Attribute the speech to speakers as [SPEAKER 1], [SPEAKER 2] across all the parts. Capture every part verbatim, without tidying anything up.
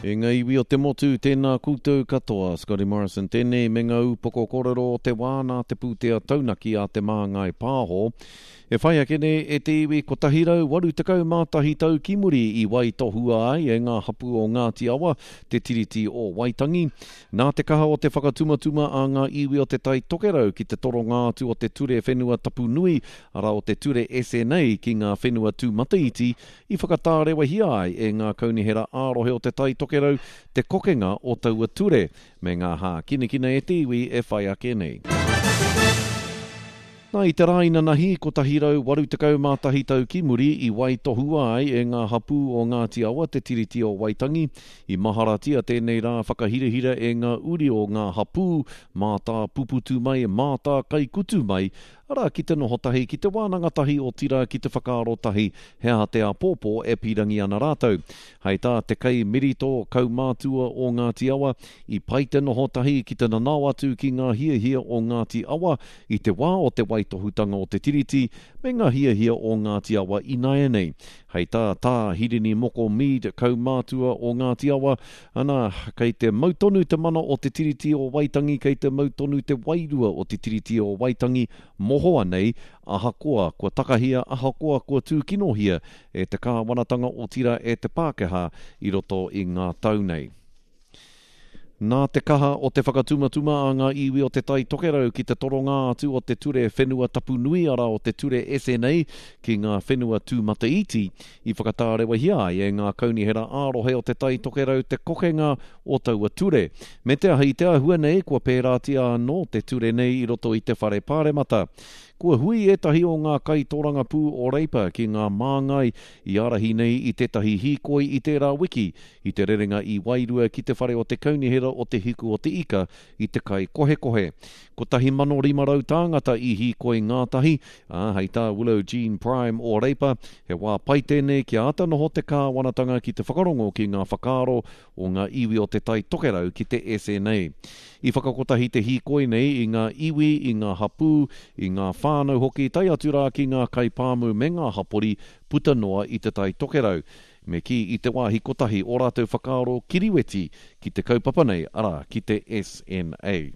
[SPEAKER 1] E ngā iwi o te motu, tēnā koutou katoa. Scotty Morrison tēnei me ngā upoko kōrero o te wā nā te pūtea taunaki a Te Māngai Pāho. E whai ake nei e te iwi kotahi rau waru tekau mā tahi tau ki muri i waitohua ai e ngā hapū o Ngāti Awa te Tiriti o Waitangi. Nā te kaha o te whakatumatuma a ngā iwi o Te Tai Tokerau ki te toronga atu o te Ture Whenua Tapu Nui, arā o te Ture S N A ki ngā whenua tūmataiti, i whakatārewahia ai e ngā kaunihera ā-rohe o Te Tai Tokerau te kokenga o taua ture, me ngā hākinakina e te iwi e whai ake nei. Nā, i te rā inanahi, kotahi rau waru tekau mā tahi tau ki muri i waitohua ai e ngā hapū o Ngāti Awa te Tiriti o Waitangi. I maharatia tēnei rā whakahirahira e ngā uri o ngā hapū, mātā puputu mai, mātā kaikutu mai, arā ki te noho tahi, ki te wānanga tahi, otirā ki te whakaaro tahi he aha te āpōpō e pīrangi ana rātou. Hei tā te kai mirito kaumātua o Ngāti Awa, i pai te noho tahi ki te nanao atu ki ngā hiahia o Ngāti Awa i te wā o te waitohutanga o te Tiriti me ngā hiahia o Ngāti Awa ināianei. Hei tā tā Hirini Moko Mead kaumātua o Ngāti Awa, ana, kei te mau tonu te mana o te Tiriti o Waitangi, kei te mau tonu te wairua o te Tiriti o Waitangi mohoa nei, ahakoa kua takahia, ahakoa kua tūkinohia e te kāwanatanga otira e te Pākehā i roto i ngā tau nei. Nā te kaha o te whakatumatuma a ngā iwi o Te Tai Tokerau ki te toronga atu o te Ture Whenua Tapu Nui, arā o te Ture S N A ki ngā whenua tūmataiti, i whakatārewahia ai e ngā kaunihera ā-rohe o Te Tai Tokerau te kokenga o taua ture. Me te aha i te āhua nei, kua pērātia anō te ture nei i roto i te whare pāremata. Kua hui ētahi o ngā kaitōrangapū o Reipa ki ngā māngai i ārahi nei i tētahi hīkoi i tērā wiki, i te rerenga i Wairua ki te whare o te kaunihera o te Hiku o te Ika i te kai kohekohe. Kotahi mano rima rau tāngata i hīkoi ngātahi, ā, hei tā Willow Jean Prime o Reipa, he wā pai tēnei kia āta noho te kāwanatanga ki te whakarongo ki ngā whakaaro o ngā iwi o Te Tai Tokerau ki te S N A. I whakakotahi te hīkoi nei i ngā iwi, i ngā hapū, i ngā whānau hoki, tae atu rā ki ngā kaipāmu me ngā hapori puta noa i Te Tai Tokerau. Me kī i te wāhi kotahi o rātou whakaaro kiriweti ki te kaupapa nei, arā, ki te S N A.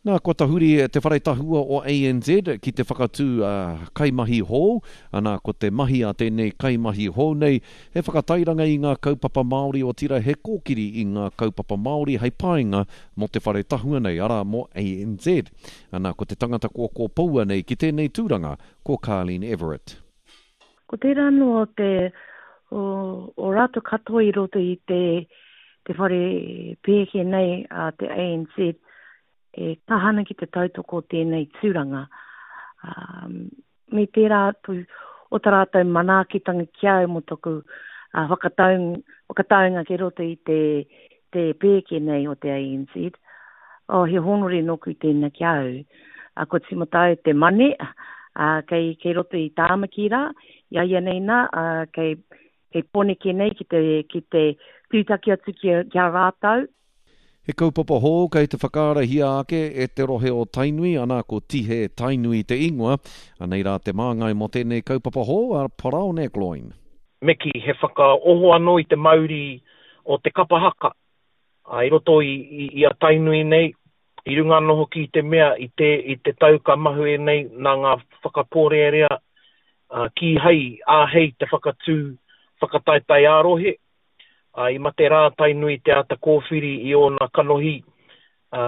[SPEAKER 1] Nā, kua tahuri te whare tahua o A N Z ki te whakatū, uh, kaimahi hou. Anā, ko te mahi a tēnei kaimahi hou nei, he whakatairanga i ngā kaupapa Māori o tira he kōkiri i ngā kaupapa Māori hei painga mō te whare tahua nei, arā, mō A N Z. Anā, ko te tangata kua kōpoua nei ki tēnei tūranga, ko Carlene Everett.
[SPEAKER 2] Ko tērā anō o te, o, o rātou katoa i roto i te, te whare pēke nei a te A N Z, e kahana ki te tautoko tēnei tūranga. Um, me tērā atu o tā rātou manaakitanga ki au mō toku, uh, whakataung, whakataunga ki roto i te, te pēke nei o te A N Z. Oh, he honore nōku tēnā ki au. Uh, ko tīmata au te mane, uh, kei, kei roto i Tāmaki rā, i a ia nei nā, uh, kei, kei Pōneke nei ki te, ki te tūtaki atu ki, ki a rātou.
[SPEAKER 1] He kaupapa hou kei te whakaarahia ake e te rohe o Tainui, ana ko Tihe Tainui te ingoa. Anei rā te māngai mō tēnei kaupapa hou a Paraone Gloyne.
[SPEAKER 3] Me ki he whakaoho anō i te mauri o te kapa haka. A, i roto i, i, i a Tainui nei, i runga anō hoki i te mea i te, i te tau ka mahue nei nā ngā whakapōrearea, a, kīhai āhei te whakatū whakataetae ā-rohe. A, i mate rā Tainui te ata kōwhiri i ōna kanohi, a,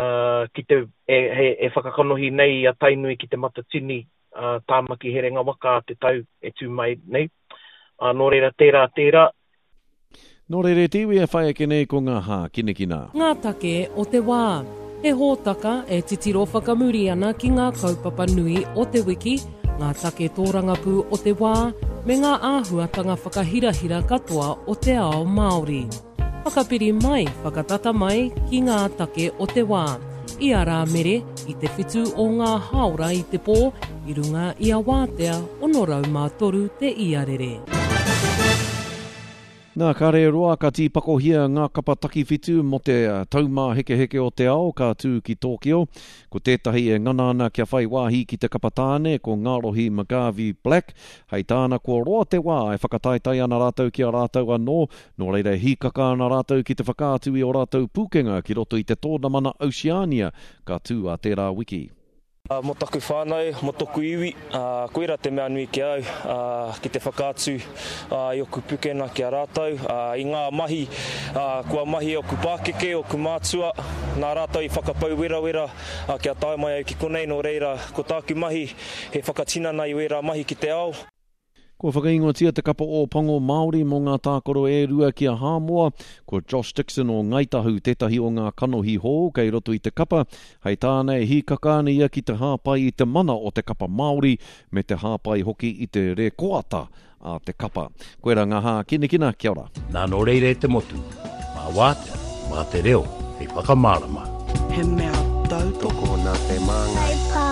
[SPEAKER 3] ki te, e, he, e whakakanohi nei i a Tainui ki te Matatini, a, Tāmaki Herenga Waka a te tau e tū mai nei. A, nō reira tērā, tērā.
[SPEAKER 1] Nō reira te iwi e whai ake nei ko ngā hākinakina.
[SPEAKER 4] Ngā take o te wā. He hōtaka e titiro whakamuri ana ki ngā kaupapa nui o te wiki, ngā take tōrangapū o te wā, me ngā āhuatanga whakahirahira katoa o te ao Māori. Whakapiri mai, whakatata mai ki ngā take o te wā. I a Rāmere, i te whitu o ngā haora i te pō, i runga i a Wātea, ono rau mā toru te iarere.
[SPEAKER 1] Nā, ka roa ka tīpakohia ngā kapa takiwhitu mō te taumāhekeheke o te ao ka tū ki Tōkio. Ko tētahi e ngana ana kia whai wāhi ki te kapa tāne, ko Ngārohi McGarvey Black. Hei tāna kua roa te wā e whakataetae ana rātou ki a rātou anō, nō reira hīkaka ana rātou ki te whakaatu i o rātou pūkenga ki roto i te tōnamana Oceania ka tū a tērā wiki.
[SPEAKER 5] Mō taku whānau, mō toku iwi, koira te mea nui ki au, ki te whakaatu i oku pukena ki a rātou, i ngā mahi, kua mahi oku pākeke, oku mātua, nā rātou i whakapau werawera kia tae mai au ki konei, nō reira, ko tāku mahi, he whakatinana i wērā mahi ki te ao.
[SPEAKER 1] Kua whakaingoatia te kapa o Pango Māori mō ngā tākaro e rua ki a Hāmoa. Ko Josh Dixon o Ngāi Tahu tētahi o ngā kanohi hou kei roto i te kapa. Hei tāna e hīkaka ana ia ki te hāpai i te mana o te kapa Māori me te hāpai hoki i te rekoata a te kapa. Koera ngā hākinakina, kia ora.
[SPEAKER 6] Nā nō reira e te motu, mā wātea, mā te reo, hei whakamārama.
[SPEAKER 7] He mea tautoko
[SPEAKER 8] nā te māngai.